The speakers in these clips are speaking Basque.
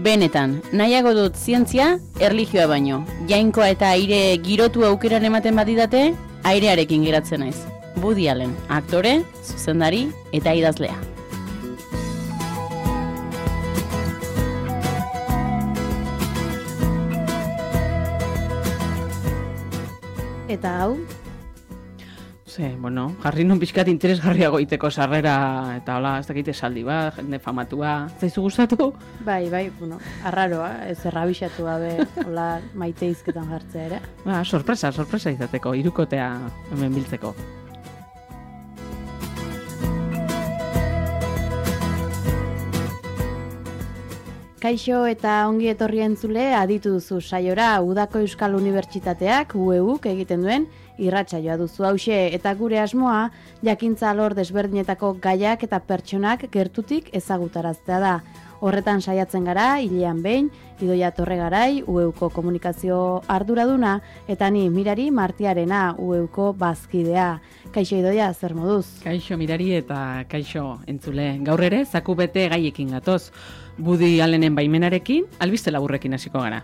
Benetan, nahiago dut zientzia, erlijioa baino. Jainkoa eta aire girotu aukeran ematen badidate, airearekin geratzen naiz. Woody Allen, aktore, zuzendari eta idazlea. Eta hau? Jarri nun pixkat interesgarriago iteko sarrera eta hola, ez dakit esaldi bat, jende famatua, zaizu gustatu? Bai, arraroa, ez errabixatu gabe, hola, maite izketan jartzea ere. Sorpresa izateko, hirukotea hemen biltzeko. Kaixo eta ongi etorri entzule aditu duzu saiora Udako Euskal Unibertsitateak UEUk egiten duen irratsaioa duzu hauxe eta gure asmoa jakintza alor desberdinetako gaiak eta pertsonak gertutik ezagutaraztea da. Horretan saiatzen gara, hilean behin, Idoia Torregarai, UEUko komunikazio arduraduna, eta ni Mirari Martiarena, UEUko bazkidea. Kaixo Idoia, zer moduz? Kaixo Mirari eta kaixo entzule. Gaur ere, zaku bete gaiekin gatoz. Woody Allenen baimenarekin, albiste laburrekin hasiko gara.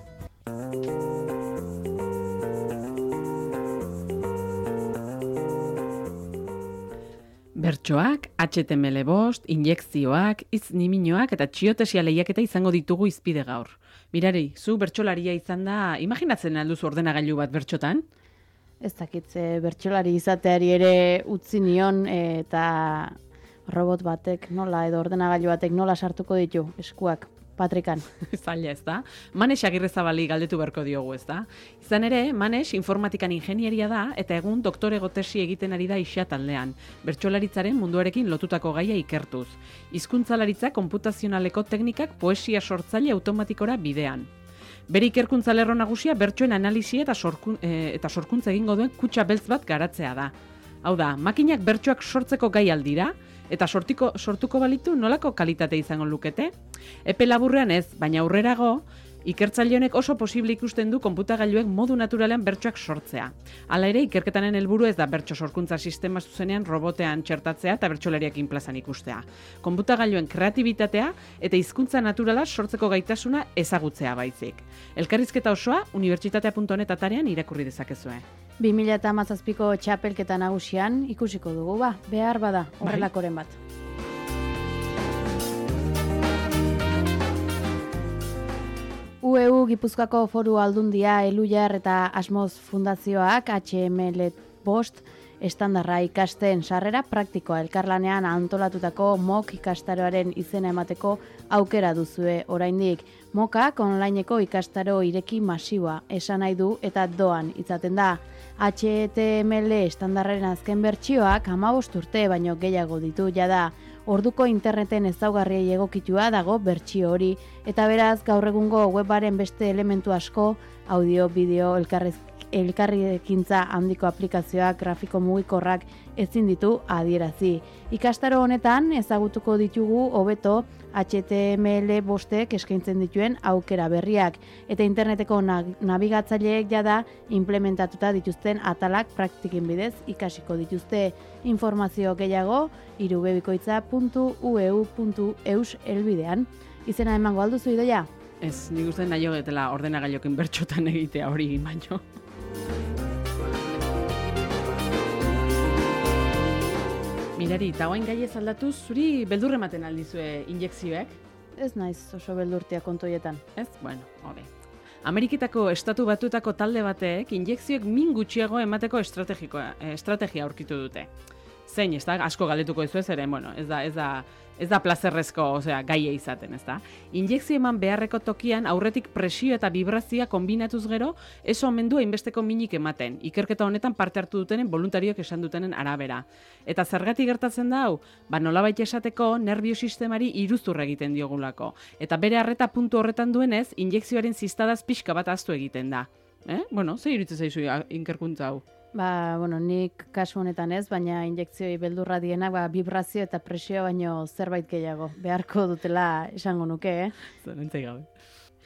Bertsoak, HTML5, injekzioak, hitz-niminoak eta txiotesia lehiaketa izango ditugu izpide gaur. Mirari, zu bertsolaria izan da, imaginatzen alduzu ordenagailu bat bertxotan? Ez dakitze, bertsolari izateari ere utzi nion eta robot batek nola edo ordenagailu batek nola sartuko ditu eskuak patrikan. Zaila ez da. Manex Agirrezabali galdetu beharko diogu ez da. Izan ere, Manex informatikan ingenieria da eta egun doktorego tesi egiten ari da IXA taldean. Bertsolaritzaren munduarekin lotutako gaia ikertuz. Hizkuntzalaritza konputazionaleko teknikak poesia sortzaile automatikora bidean. Bere ikerkuntza lerro nagusia bertsoen analisi eta sorkuntza egingo duen kutxa beltz bat garatzea da. Hau da, makinak bertsoak sortzeko gai aldira, eta sortuko balitu nolako kalitate izango lukete? Epe laburrean ez, baina aurrerago, ikertzaile honek oso posible ikusten du konputagailuek modu naturalean bertsoak sortzea. Hala ere, ikerketanen helburu ez da bertso sorkuntza sistema zuzenean robotean txertatzea eta bertsolariakin plazan ikustea. Konputagailuen kreatibitatea eta hizkuntza naturala sortzeko gaitasuna ezagutzea baizik. Elkarrizketa osoa unibertsitatea.net atarean irakurri dezakezue. 2017ko txapelketa nagusian ikusiko dugu behar bada horrelakoren bat. UEU Gipuzkoako Foru Aldundia, Elujar eta Asmoz Fundazioak HTML5 estandarra ikasten sarrera praktikoa elkarlanean antolatutako MOOC ikastaroaren izena emateko aukera duzue oraindik. MOOCak onlineko ikastaro ireki masiboa esan nahi du eta doan izaten da. HTML estandarraren azken bertsioak 15 urte baino gehiago ditu jada. Orduko interneten ezaugarriei egokitua dago bertsio hori eta beraz gaur egungo webaren beste elementu asko, audio, bideo, elkarrekintza handiko aplikazioak, grafiko mugikorrak ezin ditu adierazi. Ikastaro honetan ezagutuko ditugu hobeto HTML5ek eskaintzen dituen aukera berriak eta interneteko nabigatzaileek jada implementatuta dituzten atalak praktikin bidez ikasiko dituzte. Informazio gehiago irubebikoitza.ueu.eus helbidean. Izena emango alduzu Idoia? Ez, nik uste nahi hogetela ordenagailokin bertxotan egitea hori baino. Mirari, eta oain gaiez aldatuz, zuri beldur ematen aldizue injekzioek? Ez naiz oso beldurtia kontoietan. Ez? Bueno, hobe. Ameriketako Estatu Batuetako talde batek injekzioek min gutxiago emateko estrategia aurkitu dute. Zein, ez da, asko galdetuko ez ere, bueno, ez da plazerrezko, gaia izaten, ez da. Injekzio eman beharreko tokian aurretik presio eta vibrazioa kombinatuz gero, ez omen du hainbesteko minik ematen. Ikerketa honetan parte hartu dutenen voluntarioek esan dutenen arabera. Eta zergatik gertatzen da hau? Nolabait esateko nerbiosistemari iruzur egiten diogulako. Eta bere arreta puntu horretan duenez, injekzioaren ziztadaz pixka bat ahaztu egiten da. Ze iruditzen zaizu ikerkuntza hau? Nik kasu honetan ez, baina injekzioi beldurra dienak vibrazio eta presio baino zerbait gehiago beharko dutela esango nuke, Zarentzai gabe.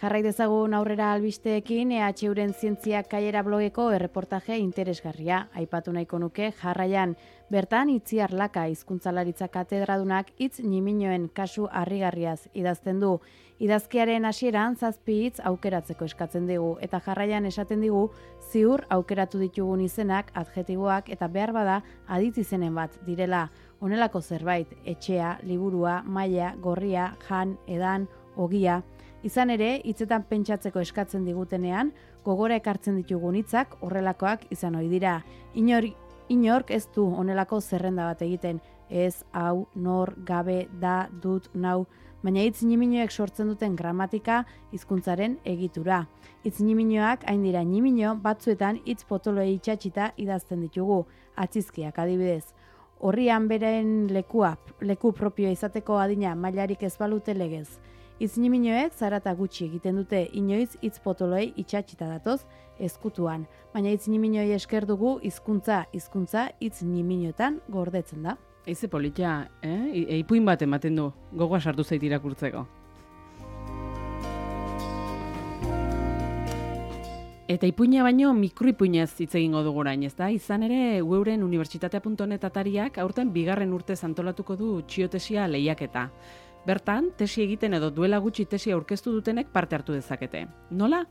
Jarrai dezagun aurrera albisteekin EHUren zientzia kaiera blogeko erreportaje interesgarria. Aipatu nahiko nuke jarraian bertan Itziar Laka hizkuntzalaritza katedradunak hitz ñiminoen kasu harrigarriaz idazten du. Idazkiaren hasieran 7 hitz aukeratzeko eskatzen digu eta jarraian esaten digu ziur aukeratu ditugun izenak, adjektiboak eta behar bada aditz izenen bat direla. Honelako zerbait, etxea, liburua, maila, gorria, jan, edan, ogia. Izan ere, hitzetan pentsatzeko eskatzen digutenean, gogora ekartzen ditugun hitzak horrelakoak izan ohi dira. Inork ez du honelako zerrenda bat egiten, ez, hau, nor, gabe, da, dut, nau, baina hitz ñiminoek sortzen duten gramatika hizkuntzaren egitura. Hitz ñiminoak hain dira ñimino batzuetan hitz potoloei itxatxita idazten ditugu, atzizkiak adibidez. Horrian beren leku propioa izateko adina mailarik ez balute legez. Hitz ñiminoek zarata gutxi egiten dute, inoiz hitz potoloei itxatxita datoz ezkutuan, baina hitz ñiminoei esker dugu hizkuntza hitz ñiminoetan gordetzen da. Eize politia, ipuin bat ematen du, gogoa sartu zait irakurtzeko. Eta ipuina baino mikroipuinez hitz egingo dugu orain, ezta? Izan ere, Euren unibertsitatea.net atariak aurten 2. urtez antolatuko du txiotesia lehiaketa. Bertan, tesi egiten edo duela gutxi tesi aurkeztu dutenek parte hartu dezakete. Nola?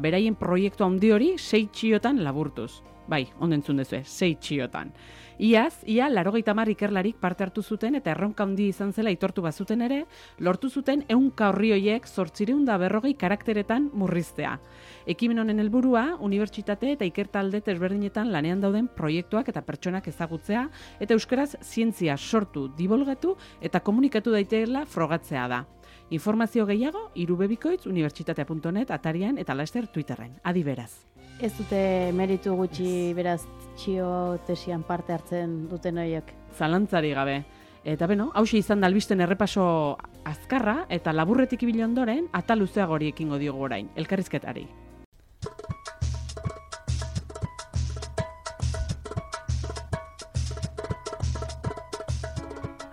Beraien proiektu handi hori 6 txiotan laburtuz. Bai, ondo entzun duzue, 6 txiotan. Ia 90 ikerlarik parte hartu zuten eta erronka handi izan zela aitortu bazuten ere, lortu zuten 100 orri horiek 840 karakteretan murriztea. Ekimen honen helburua, unibertsitate eta ikertalde desberdinetan lanean dauden proiektuak eta pertsonak ezagutzea eta euskaraz zientzia sortu, dibolgatu eta komunikatu daiteela frogatzea da. Informazio gehiago, irubebikoitz unibertsitatea.net atarian eta laster Twitterren. Adi beraz. Ez dute meritu gutxi beraz txio tesian parte hartzen duten horiek. Zalantzari gabe. Eta beno, hauxe izan da albisten errepaso azkarra eta laburretik ibili ondoren atal luzeagori ekingo diogu orain, elkarrizketari.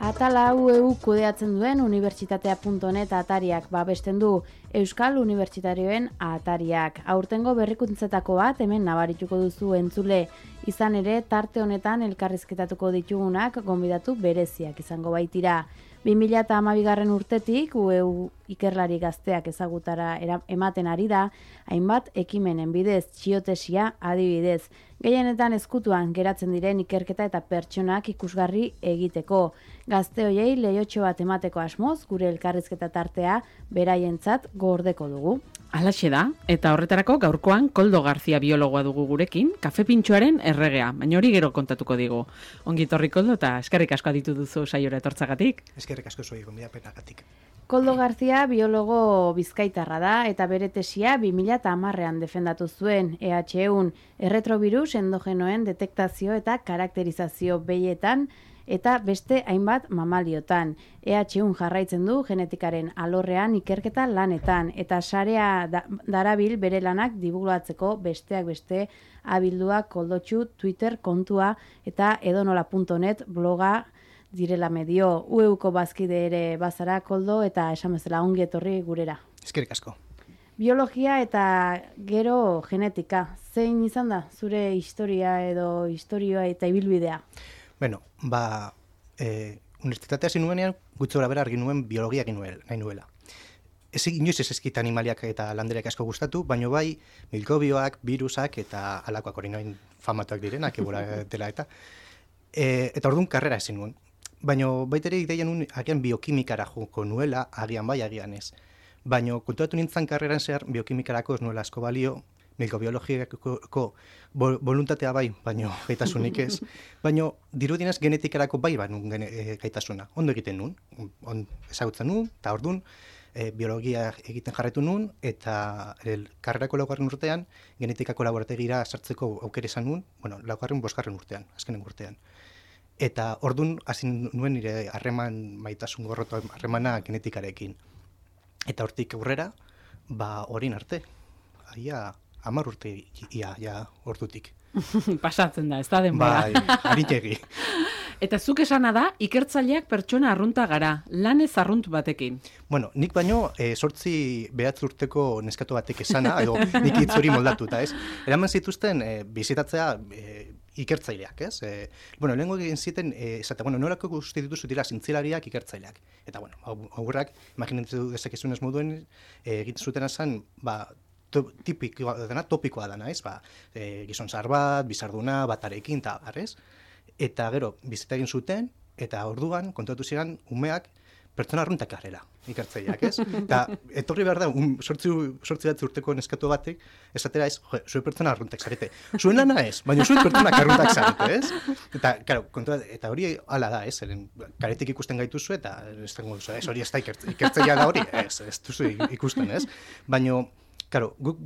Atala hau kudeatzen duen unibertsitatea.net atariak babesten du Euskal Unibertsitarioen atariak. Aurtengo berrikuntzetako bat hemen nabarituko duzu entzule. Izan ere, tarte honetan elkarrizketatuko ditugunak gonbidatu bereziak izango baitira. 2012 urtetik UEU ikerlari gazteak ezagutara ematen ari da, hainbat ekimenen bidez, txiotesia adibidez. Gehienetan ezkutuan geratzen diren ikerketa eta pertsonak ikusgarri egiteko. Gazte hoiei lehiotxo bat emateko asmoz, gure elkarrizketa tartea beraientzat gordeko dugu. Halaxe da, eta horretarako gaurkoan Koldo Garzia biologoa dugu gurekin, kafe pintxoaren erregea, baina hori gero kontatuko digu. Ongi torri Koldo eta eskerrik asko aditu duzu saiora etortzagatik. Eskerrik asko zuei gonbidapenagatik. Koldo Garzia biologo bizkaitarra da eta bere tesia 2010ean defendatu zuen EHUn erretrobirus endogenoen detektazio eta karakterizazio behietan eta beste hainbat mamaliotan. EHUn jarraitzen du genetikaren alorrean ikerketa lanetan eta sarea darabil bere lanak divulgatzeko besteak beste abilduak Koldotxu Twitter kontua eta edonola.net bloga direla medio. UEUko bazkide ere bazara Koldo eta esan bezala ongi etorri gurera. Eskerrik asko. Biologia eta gero genetika. Zein izan da zure historia edo historioa eta ibilbidea? Bueno, unibertsitatea zinuenean gutxora bera argi nuen biologia nahi nuela. Inoiz ez ezkit animaliak eta landereak asko gustatu, baino bai mikrobioak, virusak eta alakoak hori noin famatuak direnak egura dela eta orduan karrera ezin nuen. Baina baitere ideia nuen agian biokimikara joko nuela, agian bai, agian ez. Baina kontuatu nintzen karreran zehar biokimikarako ez nuela asko balio, mikrobiologiako voluntatea bai, baina gaitasunik ez. Baina dirudienez genetikarako bai banun gaitasuna. Ondo egiten nuen, ezagutzen nuen, eta orduan biologia egiten jarretu nuen, eta karrerako 4. urtean genetikako laborategira sartzeko aukera izan nuen, 5. urtean, azkenen urtean. Eta orduan hasi nuen nire maitasun gorroto harremana genetikarekin. Eta hortik aurrera, orain arte, 10 urte ia ordutik. Pasatzen da, ez da denbora. Bai, haritegi. Eta zuk esana da, ikertzaileak pertsona arrunta gara, lanez arrunt batekin. Bueno, nik baino 8 urteko neskatu batek esana, edo nik hitz hori moldatuta, ez? Eraman zituzten bizitatzea ikertzaileak, ez? Bueno, lehenko egin ziten, esate, bueno, nolako guzti dituzu dira zintzilariak ikertzaileak. Eta, bueno, aurrak, imaginatu dezakezunez moduen, egiten zuten azan, topikoa dana, ez? Gizon zahar bat, bizarduna, batarekin, eta arrez. Eta gero, bizita egin zuten, eta orduan, kontatu ziren, umeak, pertsona arruntak garela, ikertzaileak, ez? Eta etorri behar da, sortzi bat urteko neskatu batek, esatera ez, zuen pertsona arruntak zarete. Zuen lana ez, baina zuen pertsonak arruntak zarete, ez? Eta, karo, eta hori hala da, ez? Karetik ikusten gaituzu, eta ez hori ez da ikertzailea da hori, ez duzu ikusten, ez? Baina, karo, guk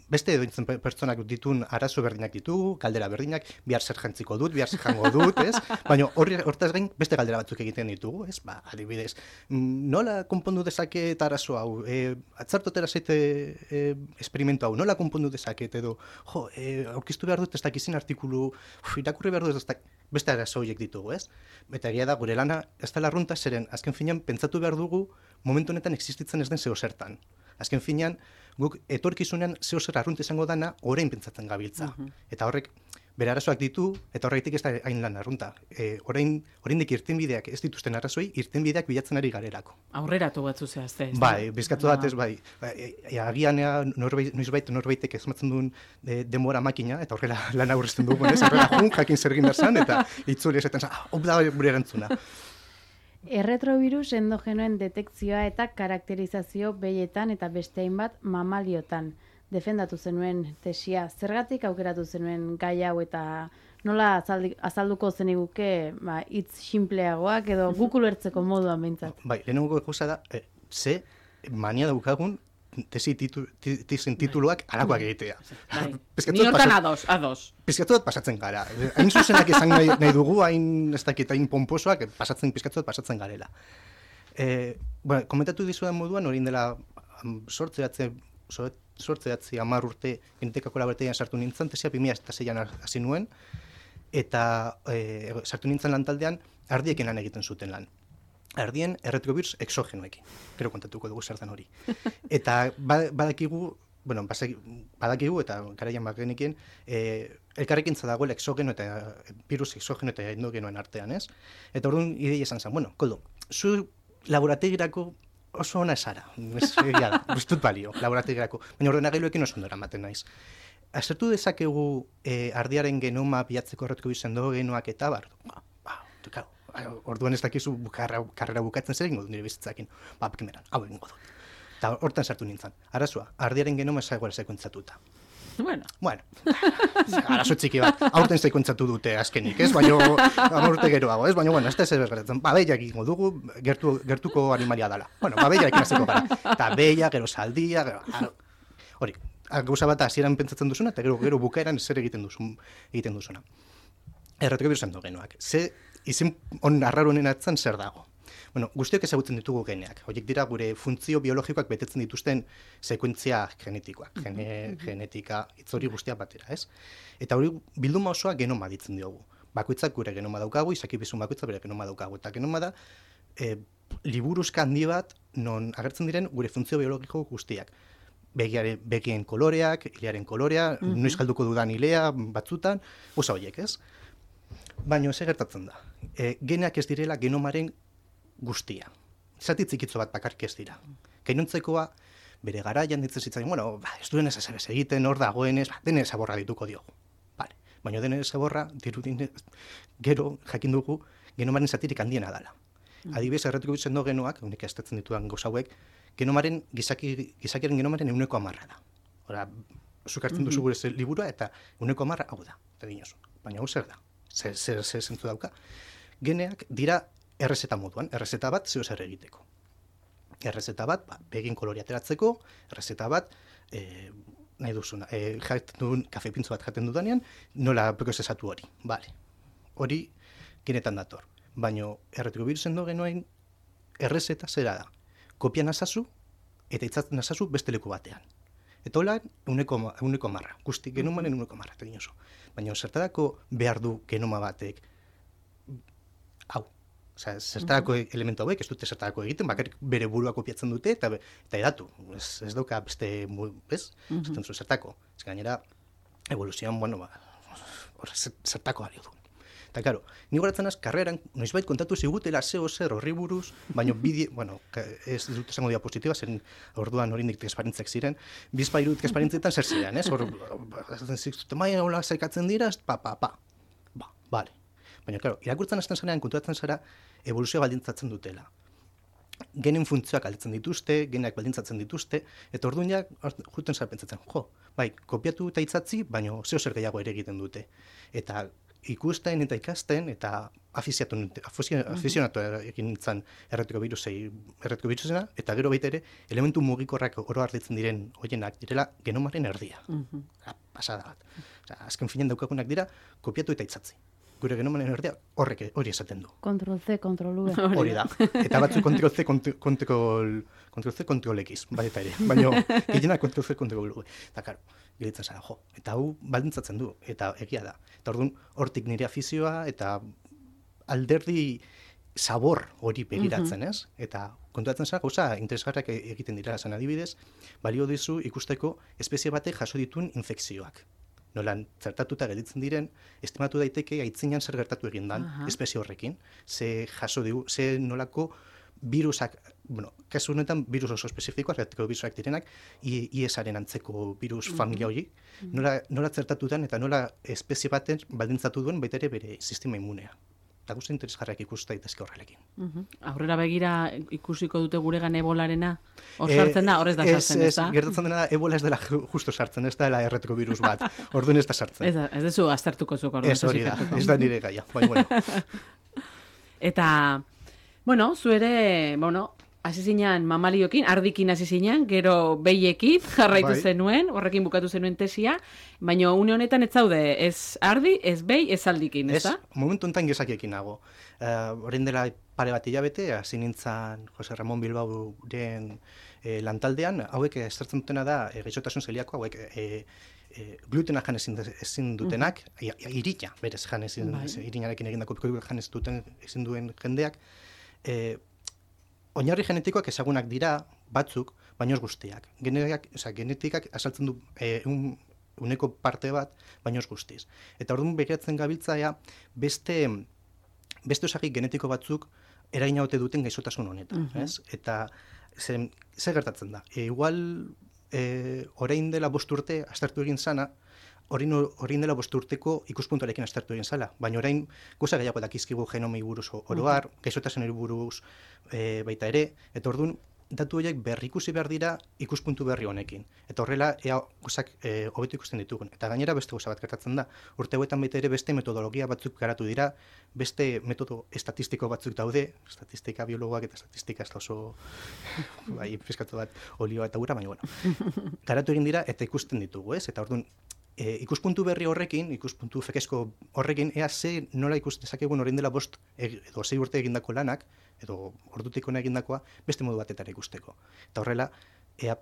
beste edoitzen pertsonak ditun arazo berdinak ditugu, galdera berdinak, bihar zer jantziko dut, bihar zer jango dut, ez? Baina hortaz gain beste galdera batzuk egiten ditugu, ez? Adibidez, nola konpondu dezaket arazo hau? Atzartotera zeite esperimentu hau, nola konpondu dezaket? Edo, aurkiztu behar dut ez dakizin artikulu, irakurri behar dut ez beste arazo horiek ditugu, ez? Eta egia da, gure lana ez dela arrunta zeren, azken finean, pentsatu behar dugu, momentu honetan existitzen ez den zeo zertan. Azken finean, guk etorkizunean zeo zer arrunt izango dana orain pentsatzen gabiltza. Eta horrek bere arazoak ditu, eta horregatik ez da hain lan arrunta. Oraindik irtenbideak ez dituzten arrazoi, irtenbideak bilatzen ari garelako. Aurreratu batzu zehazte. Bai, bizkatu batez, bai. Agian noizbait norbaitek ezmatzen duen denbora makina, eta horrela lan aurrezten dugu, horrela jakin zer egin behar eta itzuli esaten zen, hop da gure erantzuna. Erretrovirus endogenoen detekzioa eta karakterizazio behietan eta beste hainbat mamaliotan. Defendatu zenuen tesia, zergatik aukeratu zenuen gai hau eta nola azalduko zeniguke hitz sinpleagoak edo guk ulertzeko moduan behintzat? Bai, lehenengo gauza da, ze mania daukagun tesen tituluak alakoak egitea. Ni hortan ados. Pizkatu bat pasatzen gara. Hain zuzenak izan nahi dugu, hain ez dakit, hain pomposoak, pizkatu bat pasatzen garela. Komentatu dizudan moduan, hori dela sortzeatzi 10 urte genetika kolaborategian sartu nintzen, tesia 2006an hasi nuen, eta sartu nintzen lan taldean, ardiekin lan egiten zuten lan. Ardien erretrovirus exogenoekin. Gero kontatuko dugu zer den hori. Eta badakigu eta garaian bagenekin, elkarrekintza dagoela exogeno eta virus exogeno eta endogenoen artean, ez? Eta orduan ideia esan zen, koldo, zu laborategirako oso ona esara, ez dut balio, laborategirako, baina ordenagailuekin oso ondora ematen naiz. Azertu dezakegu ardiaren genoma bilatzeko erretrovirus endogenoak eta orduan ez dakizu karrera bukatzen zer egingo du nire bizitzakin. Primeran, hau egingo dut. Eta hortan sartu nintzen. Arazoa, ardiaren genoma ezagoela sekuentzatuta. Bueno. Arazo txiki bat. Aurten sekuentzatu dute azkenik, ez? Baina, amorte geroago, ez? Baina, ez da ez berretzen. Behiak egingo dugu, gertuko animalia dela. Behiak ekin azeko gara. Eta behiak, gero saldia, hori. Gauza bat hasieran pentsatzen duzuna, eta gero bukaeran zer egiten duzuna. Erretrovirus endogenoak. Izen arraronen atzan zer dago. Guztiok ezagutzen ditugu geneak. Horiek dira gure funtzio biologikoak betetzen dituzten sekuentzia genetikoak. Genetika, itzori guztiak batera, ez? Eta hori bilduma osoa genoma ditzen diogu. Bakoitzak gure genoma daukagu, izakibizun bakoitza bere genoma daukagu. Eta genoma da, liburuzka handi bat non agertzen diren gure funtzio biologiko guztiak. Begien koloreak, ilearen kolorea, noiz galduko dudan ilea, batzutan, osa horiek, ez? Baina ez gertatzen da. Geneak ez direla genomaren guztia. Zati txikitzo bat bakarrik ez dira. Gainontzekoa, bere garaian ditzen zitzaion, ez duen ez egiten, hor dagoenez, dene zaborra dituko diogu. Baina dene zaborra, gero jakin dugu, genomaren zatirik handiena dela. Adibidez, erretrovirus endogenoak, unik aztertzen ditudan gauza hauek, gizakiaren genomaren 100% da. Hora, zukartzen duzu gure liburua eta 100% hau da. Baina hau zer da? Zer zentzu dauka. Geneak dira errezeta moduan, errezeta bat zeo zer egiteko. Errezeta bat, begin kolorea ateratzeko, errezeta bat, nahi duzuna, kafe pintzo bat jaten dudanean, nola prozesatu hori. Hori genetan dator. Baina erretrovirus endogenoen errezeta zera da. Kopia nazazu eta itzatzen nazazu beste leku batean. Eta hola, 100%, guzti genomaren 100%, Baina zertarako behar du genoma batek hau. Osea, zertarako elementu hauek, ez dute zertarako egiten, bakarrik bere burua kopiatzen dute, eta edatu. Ez dauka beste, ez? Zaten zu zertako. Ez gainera, evoluzioan, bueno, zertako balio du. Eta, karo, ni goratzen az, karreran, noizbait kontatu zigutela zeo zer horri buruz, baina bueno, ez dut esango diapositiva, zen orduan horindik transparentzak ziren, bizpairu transparentzetan zer ziren, ez? Hor, zikzute maia hola zaikatzen dira, bale. Baina, karo, irakurtzen hasten zarean, konturatzen zara, evoluzioa baldintzatzen dutela. Genen funtzioak aldatzen dituzte, geneak baldintzatzen dituzte, eta orduan ja, juten zara pentsatzen, bai, kopiatu eta itzatzi, baina zeo zer gehiago ere egiten dute. Eta ikusten eta ikasten, eta afizionatu egin nintzen erretiko birusena, eta gero baita ere, elementu mugikorrak oro hartitzen diren hoienak direla genomaren erdia. Pasada bat. Azken finean daukagunak dira, kopiatu eta itzatzi. Gure genomaren erdia hori esaten du. Ctrl-C, Ctrl-V. Hori da. Eta batzu Ctrl-C, Ctrl-X, baita ere. Baina, gehienak Ctrl-C, Ctrl-V. Eta, karo, gelitzen zara, eta hau baldintzatzen du, eta egia da. Eta orduan, hortik nire afizioa, eta alderdi sabor hori begiratzen, ez? Eta konturatzen zara, gauza interesgarriak egiten dira, zen adibidez, balio dizu ikusteko espezie batek jaso dituen infekzioak. Nolan zertatuta gelditzen diren, estimatu daiteke aitzinan zer gertatu egin dan espezie horrekin, ze jaso digu, ze nolako virusak, bueno, kasu honetan virus oso espezifikoak, erretiko virusak direnak, IESaren antzeko virus familia hori, nola zertatutan eta nola espezie baten baldintzatu duen baita ere bere sistema immunea. Eta guzti interesgarriak ikusta daitezke horrelekin. Aurrera begira ikusiko dute guregan ebolarena? Hor sartzen da, horrez da sartzen, ez da? Gertatzen dena, ebola ez dela justo sartzen, ez da erretiko virus bat. Orduan ez da sartzen. Ez dezu aztertuko zuk orduan. Ez hori da, ez da nire gaia. Bueno. Eta, bueno, zu ere, hasi zinean mamaliokin, ardikin hasi zinean, gero behiekin jarraitu zenuen, horrekin bukatu zenuen tesia, baina une honetan ez zaude, ez ardi, ez behi, ez aldikin, ez da? Momentu honetan gezakiekin nago. Orain dela pare bat hilabete, hasi nintzen Jose Ramon Bilbaoren lantaldean, hauek estartzen dutena da, gaixotasun zeliako, hauek glutena jan ezin dutenak, irina, berez jan ezin, irinarekin egindako jan ezin duen jendeak, oinarri genetikoak ezagunak dira batzuk, baino ez guztiak. Genetikak asaltzen du uneko parte bat, baino ez guztiz. Eta orduan begiratzen gabiltzaia beste osagi genetiko batzuk eragina ote duten gaixotasun honetan. Eta zer gertatzen da? Igual orain dela 5 urte aztertu egin zana, orain dela 5 urteko ikuspuntuarekin aztertu egin zala, baina orain gauza gehiago dakizkigu genomei buruz oroar, gaixotasunari buruz baita ere, eta orduan datu horiek berrikusi behar dira ikuspuntu berri honekin. Eta horrela ea gauzak hobetu ikusten ditugun. Eta gainera beste gauza bat gertatzen da. Urte hauetan baita ere beste metodologia batzuk garatu dira, beste metodo estatistiko batzuk daude, statistika biologoak eta statistika ez da oso fiskatu bat olioa eta ura, baina bueno. Garatu egin dira eta ikusten ditugu, ez? Eta orduan ikuspuntu berri horrekin, ikuspuntu fekezko horrekin, ea nola ikus dezakegun orain dela 5 edo 6 urte egindako lanak, edo ordutik hona egindakoa, beste modu batetara ikusteko. Eta horrela, ea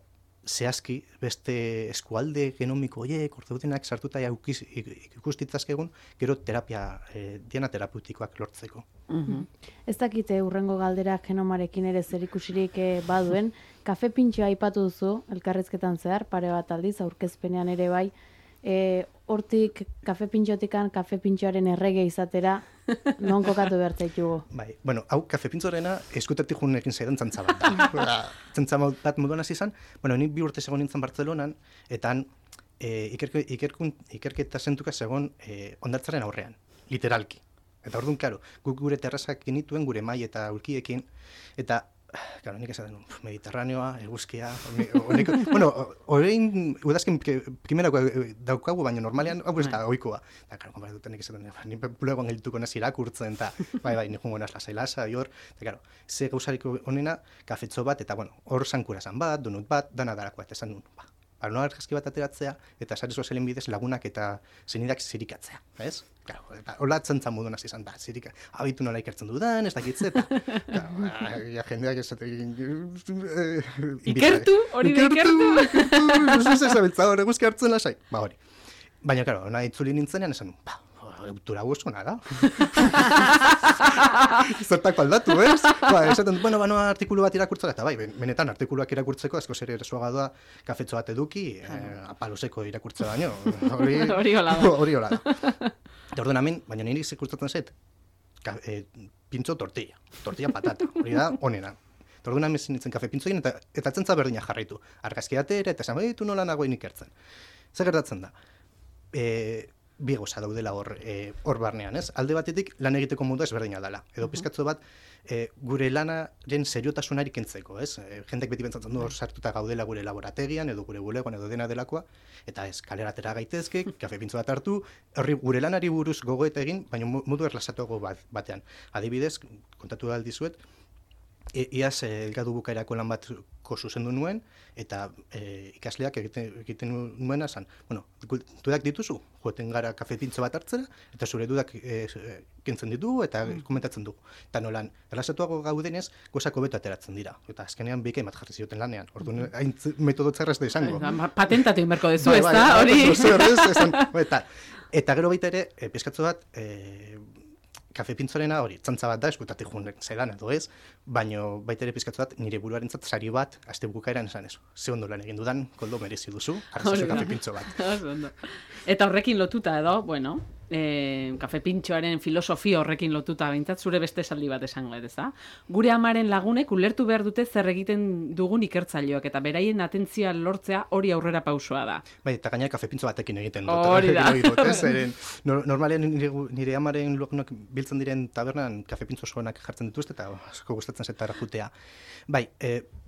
zehazki beste eskualde genomiko horiek, ordutenak sartuta ikustitzazkegun, gero diana terapeutikoak lortzeko. Ez dakite urrengo galderak genomarekin ere zer ikusirik baduen, kafe pintxoa aipatu duzu, elkarrizketan zehar, pare bat aldiz, aurkezpenean ere bai, hortik kafe pintxotikan kafe pintxoaren errege izatera non kokatu behar zaitugu? Bai, bueno, hau kafe pintxorena eskutatik junekin zaidan txantza bat da. Txantza bat moduan hasi izan, bueno, nik 2 urte segon nintzen Bartzelonan, eta ikerketa zentuka segon ondartzaren aurrean, literalki. Eta orduan, karo, guk gure terrazak genituen, gure mai eta ulkiekin, eta claro, nik esaten Mediterraneoa, eguzkia, bueno, orain udazken primerako daukagu, baina normalean hau ez da ohikoa. Eta, claro, konparatuten nik esaten, nik bulegoan geldituko naz irakurtzen, eta bai, nik jungo naz lasai-lasa, hor, eta, claro, ze gauzariko honena, kafetxo bat, eta, bueno, hor sankurasan bat, donut bat, dana darako, eta esan duen, nola argazki bat ateratzea, eta sare sozialen bidez lagunak eta zenidak zirikatzea, ez? Claro, eta hola txantza modu nazi izan, abitu nola ikertzen dudan, ez dakitze, eta jendeak esaten... Ikertu, hori da ikertu! Ez zabiltza hori guzki hartzen lasai, hori. Baina, claro, nahi itzuli nintzenean esan, eutura guzkona da. zertako aldatu, ez? Esaten, banoa artikulu bat irakurtzera, eta bai, benetan artikuluak irakurtzeko, asko zer eresuaga doa, kafetxo bat eduki, apaloseko irakurtze baino. Hori hola da. Hori hola da. Eta ordenamen, baina niri ikustatzen zait, pintxo tortilla patata, hori da, onena. Eta orduan amezin nintzen kafe pintzoien, eta atzentza berdina jarraitu. Argazki atera, eta esan, tu nola nagoen ikertzen. Zer gertatzen da? Bi gauza daudela hor barnean, ez? Alde batetik lan egiteko modua ezberdina dela. Edo pizkatzo bat, gure lanaren seriotasunari kentzeko, ez? Jendek beti pentsatzen du hor sartuta gaudela gure laborategian, edo gure bulegoan, edo dena delakoa, eta ez, kalera atera gaitezke, kafe pintzo bat hartu, gure lanari buruz gogoeta egin, baina modu erlasatuago batean. Adibidez, kontatu da aldizuet, iaz elgadu bukaerako lan batko zuzendu nuen, eta ikasleak egiten nuena zan, dudak dituzu, joeten gara kafe pintzo bat hartzera, eta zure dudak kentzen ditu eta komentatzen dugu. Eta nolan, erlasatuago gaudenez, gozako beto ateratzen dira. Eta azkenean bikain bat jarri zioten lanean. Orduan, hain metodo txarraz da izango. Patentatu inberko dezu, ez da? Hori. Eta gero baita ere, pizkatzo bat, kafe pintzorena hori, txantza bat da, eskutatik junek zelan edo ez, baina baita ere pizkatzu bat, nire buruarentzat sari bat, aste bukaeran esan ez. Ze ondo lan egin dudan, koldo merezi duzu, hartzazu kafe pintzo bat. Eta horrekin lotuta edo, kafe pintxoaren filosofia horrekin lotuta behintzat, zure beste esaldi bat esango ez da? Gure amaren lagunek ulertu behar dute zer egiten dugun ikertzaileok, eta beraien atentzia lortzea hori aurrera pausoa da. Bai, eta gaina kafe pintzo batekin egiten dut. Hori da. Normalean nire amaren lagunak biltzen diren tabernan kafe pintzo osoenak jartzen dituzte, eta asko gustatzen zetara jutea. Bai,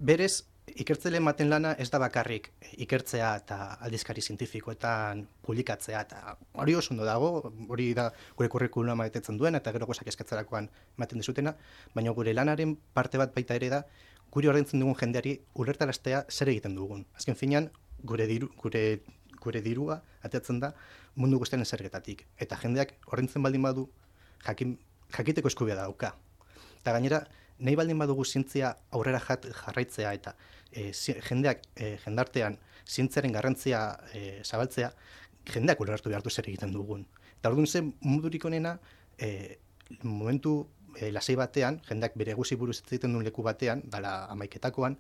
berez, ikertzele ematen lana ez da bakarrik ikertzea eta aldizkari zientifikoetan publikatzea, eta hori oso ondo dago, hori da gure kurrikuluma betetzen duen, eta gero gozak eskatzerakoan ematen dizutena, baina gure lanaren parte bat baita ere da, guri ordaintzen dugun jendeari ulertaraztea zer egiten dugun. Azken finean, gure dirua ateratzen da mundu guztiaren zergetatik, eta jendeak ordaintzen baldin badu jakiteko eskubidea dauka. Eta gainera, nahi baldin badugu zientzia aurrera jarraitzea eta jendartean zientziaren garrantzia zabaltzea, jendeak ulertu behartu zer egiten dugun. Eta orduan zen modurik onena, momentu lasai batean, jendeak bere guzi buruz egiten duen leku batean, dala amaiketakoan,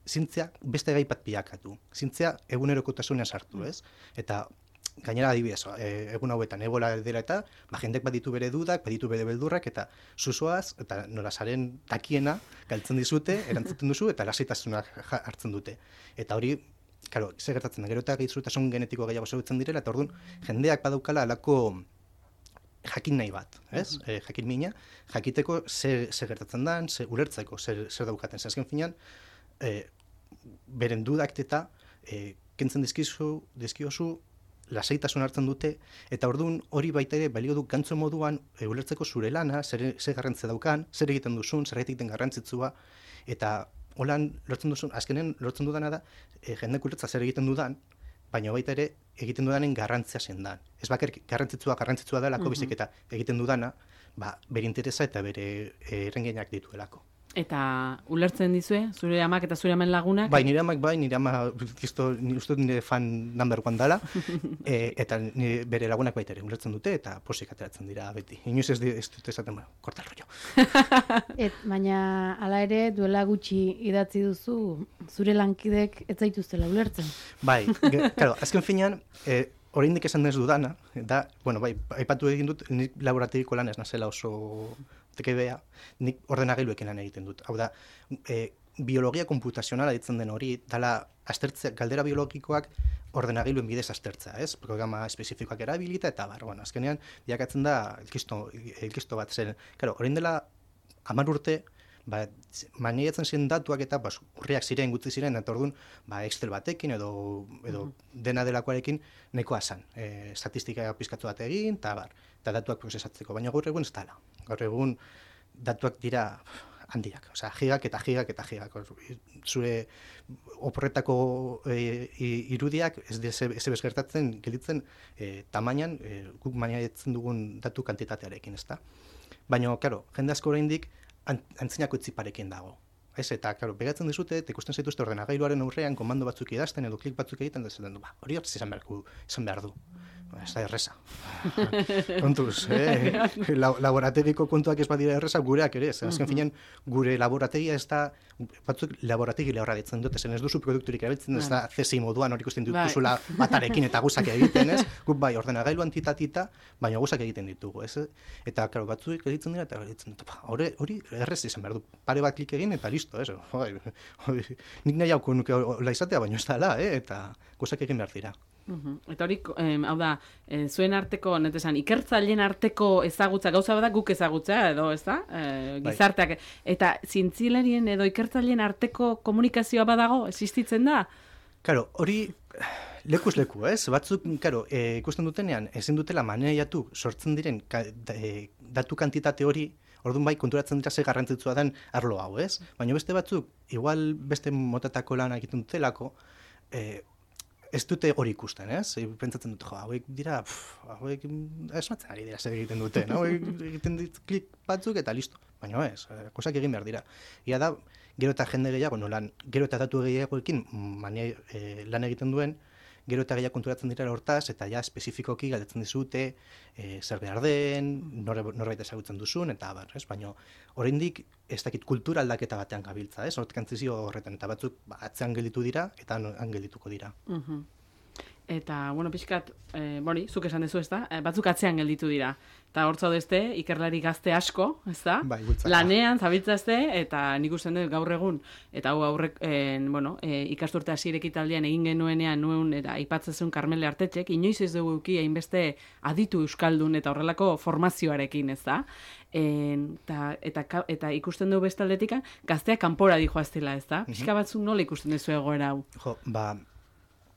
zientzia beste gai bat bilakatu. Zientzia egunerokotasunean sartu, ez? Eta gainera adibidez, egun hauetan ebola dela eta jendek baditu bere dudak, baditu bere beldurrak, eta zuzoaz, eta nolasaren takiena galtzen dizute, erantzuten duzu, eta lasaitasunak hartzen dute. Eta hori, claro, ze gertatzen da, gero eta gaixotasun genetiko gehiago zagutzen direla, eta orduan jendeak badaukala alako jakin nahi bat, ez? Jakin mina, jakiteko zer gertatzen den, ulertzeko zer daukaten. Azken finean, beren dudak eta kentzen dizkiozu, lasaitasun hartzen dute, eta orduan hori baita ere balio du gantzo moduan ulertzeko zure lana, zer garrantzia daukan, zer egiten duzun, zer egiten garrantzitsua, eta holan lortzen duzun, azkenen lortzen dudana da, jendek ulertza zer egiten dudan, baina baita ere egiten dudanen garrantzia zendan. Ez bakar garrantzitsua delako bizik eta egiten dudana, bere interesa eta bere errengenak dituelako. Eta ulertzen dizue, zure amak eta zure amen lagunak? Bai, nire amak bai, nire ama uste nire fan number one dala, eta bere lagunak baita ere ulertzen dute, eta posik ateratzen dira beti. Inoiz ez dute esaten, korta el rollo. Baina, hala ere, duela gutxi idatzi duzu, zure lankidek ez zaituztela ulertzen. Bai, claro, azken finean, oraindik esan ez dudana, da, bai, aipatu egin dut, nik laborategiko lan ez nazela oso tekebea, nik ordenagailuekin lan egiten dut. Hau da, biologia komputazionala ditzen den hori, dala galdera biologikoak ordenagiloen bidez aztertzea, ez? Programa espezifikoak erabilita, eta azkenean, diakatzen da elkisto bat zen. Claro, orain dela 10 urte, maniatzen ziren datuak eta urriak ziren, gutzi ziren, eta orduan, Excel batekin edo dena delakoarekin nahikoa zen. Estatistika pizkatu bat egin, eta datuak prozesatzeko, baina gaur egun ez dela. Gaur egun datuak dira handiak, gigak eta gigak eta gigak. Zure oporretako irudiak ez bezgertatzen gelditzen tamainan guk maniatzen dugun datu kantitatearekin, ezta? Baina, claro, jende asko oraindik antzinako etziparekin dago. Eta, claro, begatzen dizute, eta ikusten zaituzte ordenagailuaren aurrean komando batzuk idazten edo klik batzuk egiten, da zaten du, hori hortz izan behar du. ez da erresa. Kontuz, laborategiko kontuak ez badira erresa, gureak ere, azken finean gure laborategia ez da, batzuk laborategi lehorra ditzen dute, zen ez duzu produkturik erabiltzen, ez da CSI moduan hori ikusten dituzula batarekin eta guzak egiten, ez? Guk bai, ordenagailu antitatita, baina guzak egiten ditugu, ez? Eta, karo, batzuk egiten dira, eta egiten dut, hori errez izan behar du, pare bat klik egin, eta listo, ez? Nik nahi hauko nuke hola izatea, baina ez da, eta guzak egin behar dira. Eta hori, hau da, zuen arteko, netesan, ikertzaileen arteko ezagutza, gauza bada guk ezagutzea edo, ez da? Gizarteak. Eta zientzialarien edo ikertzaileen arteko komunikazioa badago, existitzen da? Karo, hori lekuz leku, ez? Batzuk, karo, ikusten dutenean, ezin dutela maneiatu sortzen diren datu kantitate hori, orduan bai, konturatzen dira ze garrantzitsua den arlo hau, ez? Baina beste batzuk, igual beste motatako lan egiten dutelako, ez dute hori ikusten, ez? Pentsatzen dut, hauek dira, hauek esmatzen ari dira zer egiten dute, no? Egiten dit klik batzuk eta listo. Baina ez, kosak egin behar dira. Ia da, gero eta jende gehiago, gero eta datu gehiagoekin lan egiten duen, gero eta gehiago konturatzen dira hortaz, eta ja espezifikoki galdetzen dizute, zer behar den, norbait ezagutzen duzun, eta abar, ez? Baina oraindik ez dakit kultura aldaketa batean gabiltza, ez? Hortkantzizio horretan, eta batzuk atzean gelditu dira, eta han geldituko dira. Eta, bueno, pixkat, zuk esan dezu, ez da? Batzuk atzean gelditu dira. Eta hor zaudezte, ikerlari gazte asko, ez da? Bai, lanean, zabiltzazte, eta nik usten dut gaur egun, eta hau aurrek, ikasturte hasierek italdean egin genuenean nuen, eta aipatzezun Karmele Artetxek, inoiz ez dugu euki hainbeste aditu euskaldun eta horrelako formazioarekin, ez da? Eta ikusten dugu bestaldetik, gazteak kanpora dijoaztela, ez da? Pixka batzuk nola ikusten duzu egoera hau?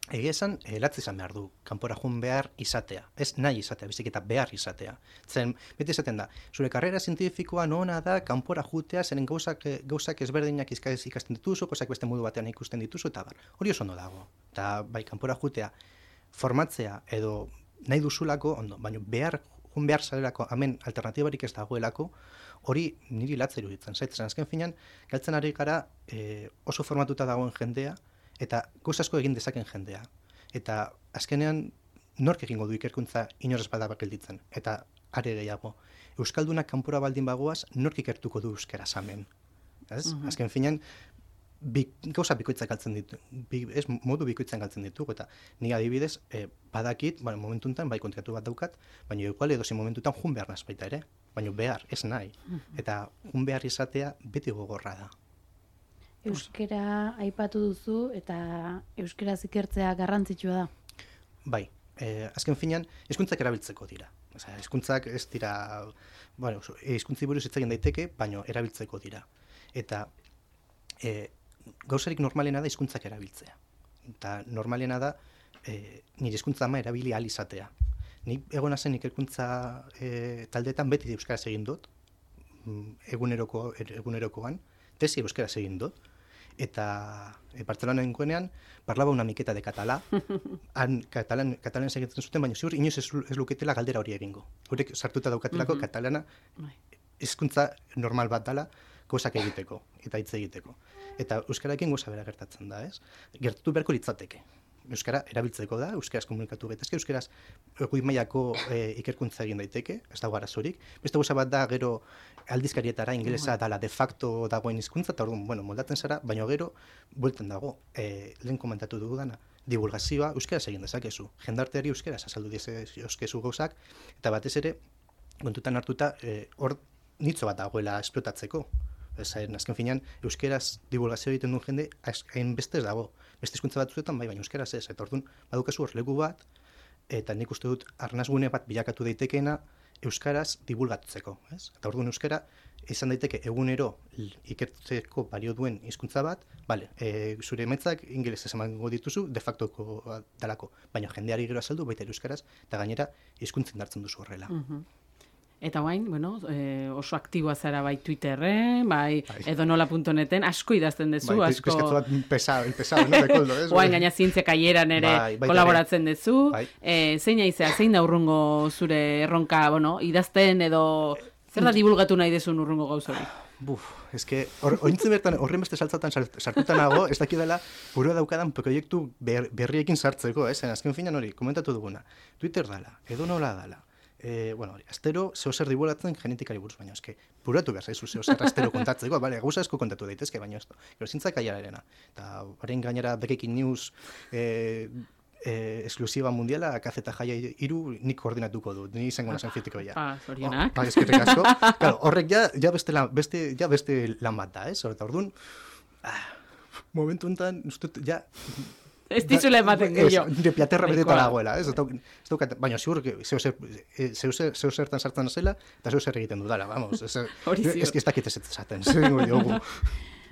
Egia esan, latz izan behar du, kanpora joan behar izatea. Ez nahi izatea, bizik eta behar izatea. Zen, beti esaten da, zure karrera zientifikoa nona da, kanpora jutea, zeren gauzak ezberdinak ikasten dituzu, gauzak beste modu batean ikusten dituzu, eta bar. Hori oso ondo dago. Eta bai, kanpora jutea, formatzea edo nahi duzulako, ondo, baina joan behar zalerako, hemen alternatibarik ez dagoelako, hori niri latz iruditzen. Zaitzen, azken finean, galtzen ari gara oso formatuta dagoen jendea, eta gauz asko egin dezaken jendea. Eta azkenean nork egingo du ikerkuntza inorez bada gelditzen. Eta are gehiago, euskaldunak kanpora baldin bagoaz, nork ikertuko du euskaraz hemen. Azken finean, gauza bikoitzak galtzen ditu, modu bikoitzan galtzen ditugu, eta ni adibidez, badakit, momentu enten, bai kontratu bat daukat, baina igual edozi momentutan jun behar nazpaita ere, baina behar, ez nahi. Eta jun behar izatea beti gogorra da. Euskera aipatu duzu eta euskaraz ikertzea garrantzitsua da. Bai, azken finean, hizkuntzak erabiltzeko dira. Hizkuntzak ez dira, hizkuntzi buruz hitz egin daiteke, baina erabiltzeko dira. Eta gauzarik normalena da hizkuntzak erabiltzea. Eta normalena da nire hizkuntza ama erabili ahal izatea. Ni egona zen ikerkuntza taldeetan beti euskaraz egin dut, egunerokoan, tesi euskaraz egin dut, eta Bartzelonan nengoenean parlaba una miqueta de català, katalan segitzen zuten, baina ziur inoiz ez luketela galdera hori egingo. Horek sartuta daukatelako katalana hizkuntza normal bat dela, gauzak egiteko, eta hitz egiteko. Eta euskararekin gauza bera gertatzen da, ez? Gertatu beharko litzateke. Euskara erabiltzeko da, euskaraz komunikatu gaitezke, euskaraz goi mailako ikerkuntza egin daiteke, ez dago arazorik. Beste gauza bat da, gero aldizkarietara ingelesa dala de facto dagoen hizkuntza, eta orduan, moldatzen zara, baina gero, buelten dago, lehen komentatu dugu dana, divulgazioa euskaraz egin dezakezu. Jendarteari euskaraz azaldu dizkezu gauzak, eta batez ere, kontutan hartuta, hor nitzo bat dagoela esplotatzeko. Azken finean, euskaraz divulgazio egiten duen jende, hain beste ez dago. Beste hizkuntza batzuetan, baina euskaraz ez. Eta orduan, badukazu hor leku bat, eta nik uste dut arnazgune bat bilakatu daitekeena euskaraz divulgatzeko. Eta orduan euskara, izan daiteke egunero ikertzeko balio duen hizkuntza bat, zure emaitzak ingelesez emango dituzu, de factoko dalako. Baina jendeari gero azaldu, baita euskaraz, eta gainera hizkuntzen dartzen duzu horrela. Eta guain, oso aktiboa zara bai Twitterren, bai edonola.neten, asko idazten dezu, asko... Pizkatzu bat pesado, no, de koldo, ez? Guain, gaina zientzia kaieran ere kolaboratzen dezu. Zein aizea, zein da urrungo zure erronka, idazten edo Zer da divulgatu nahi dezun urrungo gauz hori? Eske, ointzen bertan, horren beste saltzatan sartuta nago, ez dakidala burua daukadan proiektu berriekin sartzeko, zen azken finan hori, komentatu duguna. Twitter dala, edo nola dala. Astero zehozer dibulatzen genetikari buruz, baina eske, buratu behar zaizu zehozer astero kontatzeko, bale, gauza asko kontatu daitezke, baina ez. Gero zintzak aiararena. Eta haren gainera Breaking News esklusiba mundiala, kazeta jaia iru nik koordinatuko dut, ni izango nazen fitikoia. Zorionak. Eskerrik asko. Claro, horrek ja beste lan bat da, ez? Eta orduan, momentu enten, ja... Ez dizule ematen gehiago. Nire piaterra beteta dagoela, ez? Baina, zigur, zeu-zertan sartzen zela, eta zeu-zer egiten dudala, vamos. Ez dakit ez esaten, zer dingo diogu.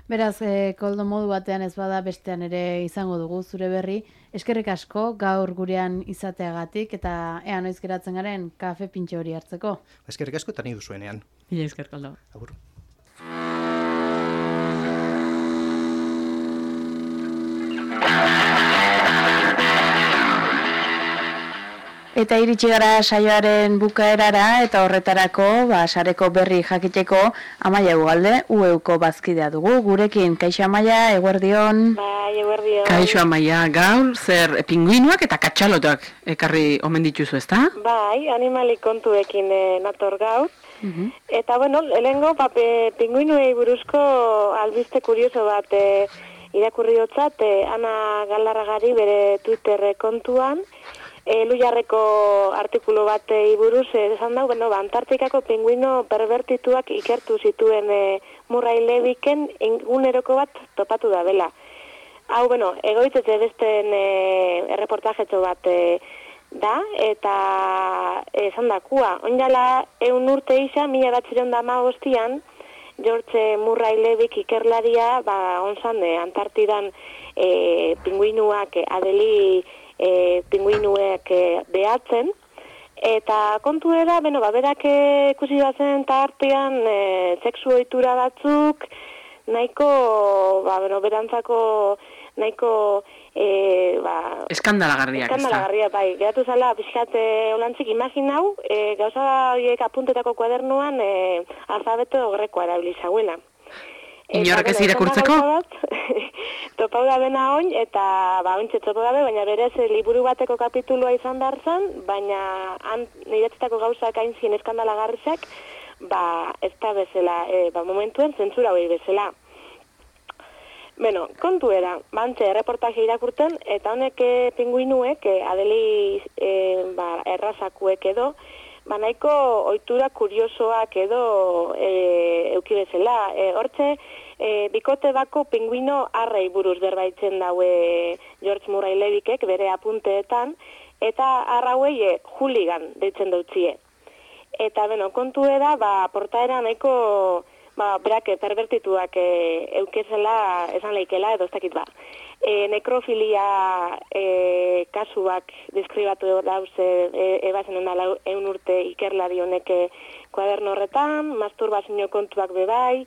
Beraz, koldo modu batean ez bada bestean ere izango dugu zure berri. Eskerrik asko gaur gurean izateagatik eta ea noiz geratzen garen kafe pintxo hori hartzeko. Eskerrik asko eta nahi duzuenean. Mila esker, koldo. Agur. Eta iritsi gara saioaren bukaerara eta horretarako sareko berri jakiteko Amaia Ugalde, UEUko bazkidea dugu. Gurekin, kaixo Amaia, eguerdion. Bai, eguerdion. Kaixo Amaia, gaur, zer pinguinoak eta katxalotak ekarri omen dituzu, ezta? Bai, animalik kontuekin nator gaur. Eta, bueno, lehengo pinguinuei buruzko albiste kurioso bat irakurri dotzat, Ana Galarragari bere Twitter kontuan, Lujarreko artikulu bat buruz esan dau, Antartikako pinguino pervertituak ikertu zituen Murray Leviken eguneroko bat topatu da bela. Hau, egoitzetze besten erreportajetxo bat da, eta esan dakua. Oindala, 100 urte isa, 1915an, George Murray Levik ikerlaria, onzan, Antartidan pinguinuak adeli pinguinuek behatzen, eta kontu era, berak ikusi bazen tartean sexu ohitura batzuk, nahiko, berantzako, nahiko, eskandalagarriak, ez da? Eskandalagarriak, bai. Geratu zala, pixkat, olantzik imaginau, gauza horiek apuntetako kuadernuan alfabeto grekoa erabilizauela. Inorrek ez irakurtzeko? Topau da bena oin, eta ointxe topau dabe, baina berez liburu bateko kapitulua izan darzan, baina niretzitako gauzak hain zien eskandalagarrizak, ez da bezala, momentuen zentzura hori bezala. Kontu era, bantxe erreportaje irakurten, eta honek pinguinuek, adeli errazakuek edo, nahiko ohitura kuriosoak edo euki bezala. Hortxe, bikote bako pinguino arrei buruz berbaitzen daue George Murray Levikek bere apunteetan, eta arrauei hooligan deitzen dautzie. Eta, kontu era, portaera nahiko, berak pervertituak eukezela esan leikela, edo ez dakit nekrofilia kasuak deskribatu dauz ebazen ondala 100 urte ikerlari honek kuaderno horretan, masturbazio kontuak bebai,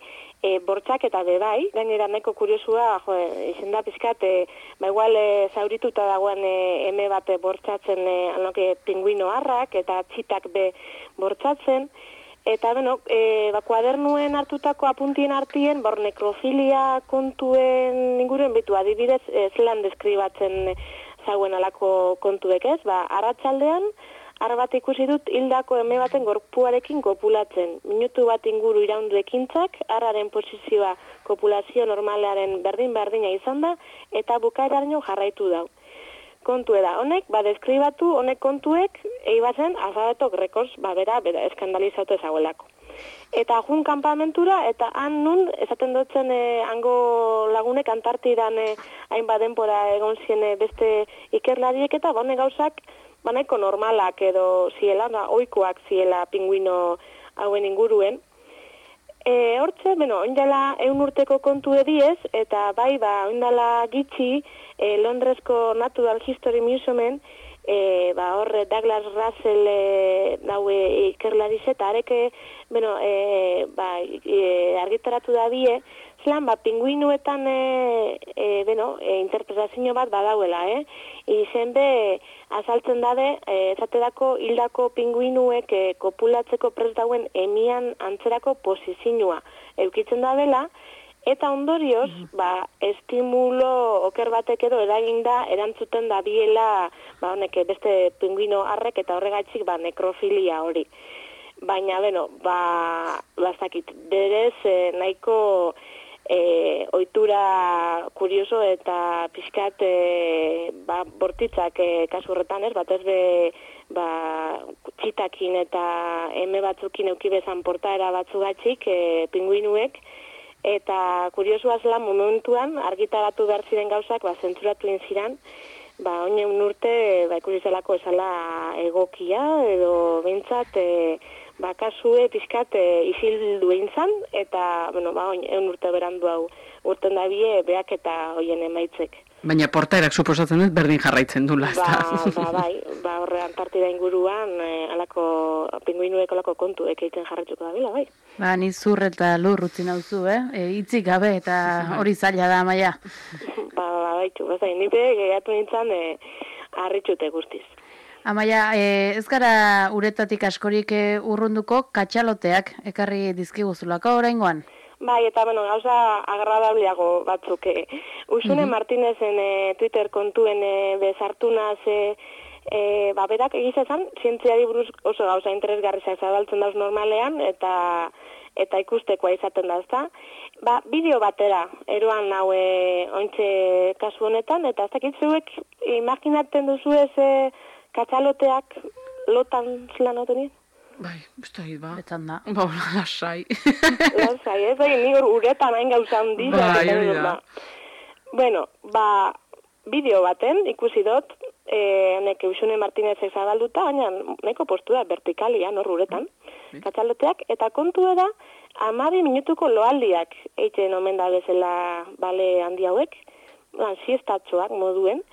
bortxak eta bebai, gainera nahiko kuriosua, izen da pizkat, igual zaurituta dagoen eme bat bortxatzen pinguino harrak eta txitak be bortxatzen. Eta, kuadernuen hartutako apuntien artien, nekrofilia kontuen inguruen bitu, adibidez, zelan deskribatzen zauen alako kontuek ez, arratsaldean, bat ikusi dut hildako eme baten gorpuarekin kopulatzen. Minutu bat inguru iraundu ekintzak, arraren posizioa kopulazio normalaren berdin-berdina izan da, eta bukaeraraino jarraitu dau. Kontu da, honek, deskribatu, honek kontuek, eibazen, alfabeto grekoz, bera eskandalizatu ezaguelako. Eta jun kanpamentura, eta han nun, esaten dutzen hango lagunek Antartidan hainbat denbora egon zien beste ikerlariek, eta honek gauzak, nahiko normalak edo ziela, ohikoak ziela pinguino hauen inguruen. Hortze, oindala 100 urteko kontu ediez, eta oindala gitxi, Londresko Natural History Museumen, horre Douglas Russell daue ikerlariz eta areke, argitaratu da bie, zelan, pinguinuetan, interpretazio bat badauela, izen be, azaltzen dade, ezaterako hildako pinguinuek kopulatzeko prest dauen emian antzerako posizioa eukitzen da dela, eta ondorioz, estimulo oker batek edo eraginda erantzuten da biela, beste pinguino harrek eta horregaitzik nekrofilia hori. Baina, bastakit, berez nahiko ohitura kurioso eta pixkat bortitzak kasu horretan ez, batez be txitakin eta eme batzukin eukibezan portaera batzugatxik pinguinuek, eta kuriosua zela momentuan argitaratu behar ziren gauzak zentzuratu inziran, oinen urte ikusi zelako esala egokia edo behintzat kasue pixkat isildu eintzan, eta oin urte berandu hau urten dabie beak eta hoien emaitzek. Baina portaerak suposatzen dut berdin jarraitzen dula, ezta? Horre Antartida inguruan alako pinguinuek alako kontuek egiten jarraituko da bila, bai. Ni zur eta lur utzi nauzu, hitzik gabe eta hori zaila da, Amaia. Baitu, nipe gehatu nintzen harritxute guztiz. Amaia, ez gara uretatik askorik urrunduko katxaloteak ekarri dizkiguzulako oraingoan? Bai, eta gauza agradableago batzuk. Usune Martinezen Twitter kontuen bezartu naz, berak egizazan, zientziari buruz oso gauza interesgarrizak zabaltzen dauz normalean, eta ikustekoa izaten da, ezta? Bideo batera, eroan hau ointxe kasu honetan, eta ez dakit zeuek imaginatzen duzu ez katxaloteak lotan zelan autonien? Bai, ez da, Betan da. Lasai. Lasai, ez da, ni uretan hain gauza handi. Bideo baten ikusi dut, neke Usune Martinezek zabalduta, baina neko postura vertikalian hor uretan, katxaloteak, eta kontua da, 12 minutuko loaldiak eitzen omen da bezala bale handi hauek, siestatxoak moduen,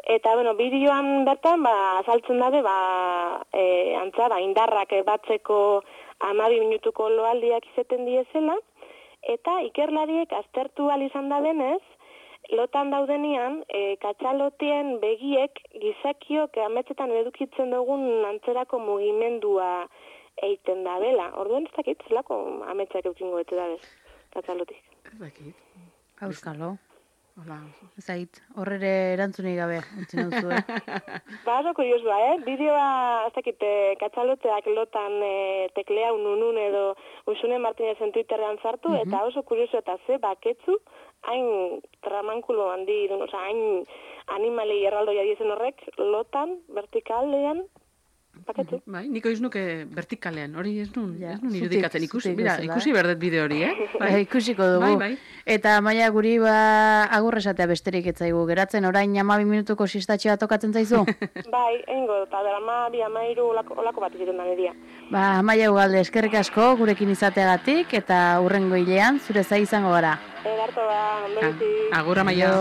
eta, bideoan bertan, azaltzen dabe, antza, indarrak batzeko 12 minutuko loaldiak izeten diezela, eta ikerlariek aztertu izan da denez, lotan daudenian, katxalotien begiek gizakiok ametsetan edukitzen dugun antzerako mugimendua eiten da bela. Orduan ez dakit, zelako ametsak eukingo bete da bez, katxalotik. Ez dakit. Auskalo. Zait, horrere erantzunik gabe, entzun duzu, oso kuriosua, Bideoa, ez dakit, katxaloteak lotan teklea ununun edo Usune Martinezen Twitterrean sartu, eta oso kurioso eta baketzu, hain tramankulo handi, hain animali erraldoia diezen horrek, lotan, vertikalean, baketzu. Bai, niko iznuke vertikalean, hori ez nun irudikatzen ikusi berdet bideo hori, ikusiko dugu. Bai. Eta Maia guri agurresatea besterik etzaigu geratzen, orain 12 minutuko sistatxea tokatzen zaizu? Bai, eingo, eta dara 12 olako bat izaten da nedia. Maia Ugalde, eskerrik asko gurekin izateagatik, eta hurrengo hilean zure zai izango gara. Edarto da, ondoizi. Agur, Amaia.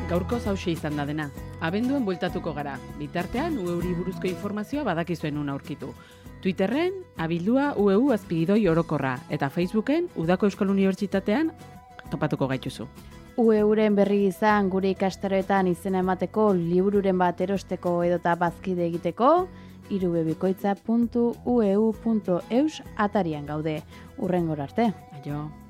Gaurko hauxe izan da dena. Abenduan bueltatuko gara. Bitartean, UEUri buruzko informazioa badakizuen una aurkitu. Twitterren, abildua UEU azpigidoi orokorra, eta Facebooken, Udako Euskal Unibertsitatean topatuko gaituzu. UEUren berri izan gure ikastaroetan izena emateko, libururen bat erosteko edota bazkide egiteko, irubebikoitza.ueu.eus atarian gaude. Hurrengora arte. Aio.